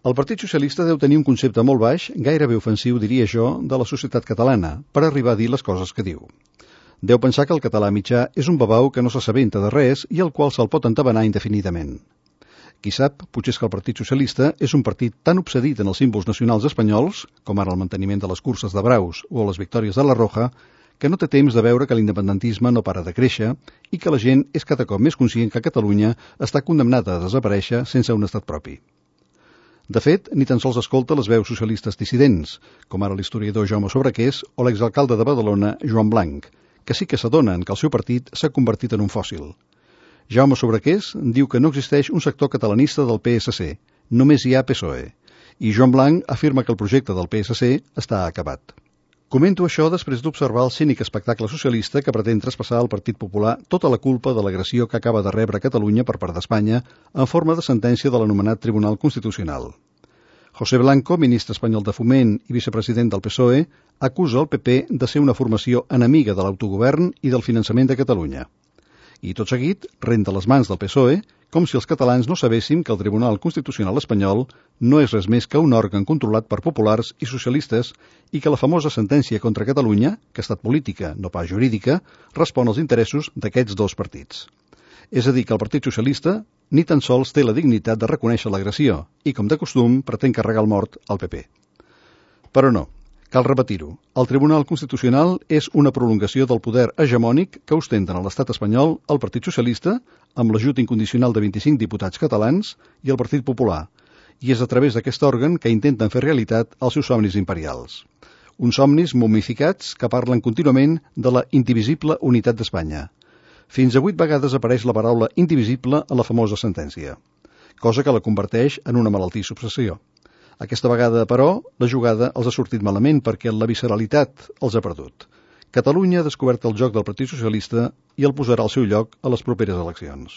El Partit Socialista deu tenir un concepte molt baix, gairebé ofensiu, diria jo, de la societat catalana, per arribar a dir les coses que diu. Deu pensar que el català mitjà és un babau que no s'assabenta de res i al qual se'l pot entabanar indefinidament. Qui sap, potser és que el Partit Socialista és un partit tan obsedit en els símbols nacionals espanyols, com ara el manteniment de les curses de braus o les victòries de la Roja, que no té temps de veure que l'independentisme no para de créixer i que la gent és cada cop més conscient que Catalunya està condemnada a desaparèixer sense un estat propi. De fet, ni tan sols escolta les veus socialistes dissidents, com ara l'historiador Jaume Sobrequés o l'exalcalde de Badalona, Joan Blanc, que sí que s'adonen que el seu partit s'ha convertit en un fòssil. Jaume Sobrequés diu que no existeix un sector catalanista del PSC, només hi ha PSOE, i Joan Blanc afirma que el projecte del PSC està acabat. Comento això després d'observar el cínic espectacle socialista que pretén traspassar al Partit Popular tota la culpa de l'agressió que acaba de rebre Catalunya per part d'Espanya en forma de sentència de l'anomenat Tribunal Constitucional. José Blanco, ministre espanyol de Foment i vicepresident del PSOE, acusa el PP de ser una formació enemiga de l'autogovern i del finançament de Catalunya. I tot seguit renta les mans del PSOE com si els catalans no sabéssim que el Tribunal Constitucional espanyol no és res més que un òrgan controlat per populars i socialistes i que la famosa sentència contra Catalunya, que ha estat política, no pas jurídica, respon als interessos d'aquests dos partits. És a dir, que el Partit Socialista ni tan sols té la dignitat de reconèixer l'agressió i, com de costum, pretén carregar el mort al PP. Però no. Cal repetir-ho, el Tribunal Constitucional és una prolongació del poder hegemònic que ostenten a l'estat espanyol el Partit Socialista, amb l'ajut incondicional de 25 diputats catalans, i el Partit Popular, i és a través d'aquest òrgan que intenten fer realitat els seus somnis imperials. Uns somnis momificats que parlen contínuament de la indivisible unitat d'Espanya. Fins a 8 vegades apareix la paraula indivisible a la famosa sentència, cosa que la converteix en una malaltissa obsessió. Aquesta vegada, però, la jugada els ha sortit malament perquè la visceralitat els ha perdut. Catalunya ha descobert el joc del Partit Socialista i el posarà al seu lloc a les properes eleccions.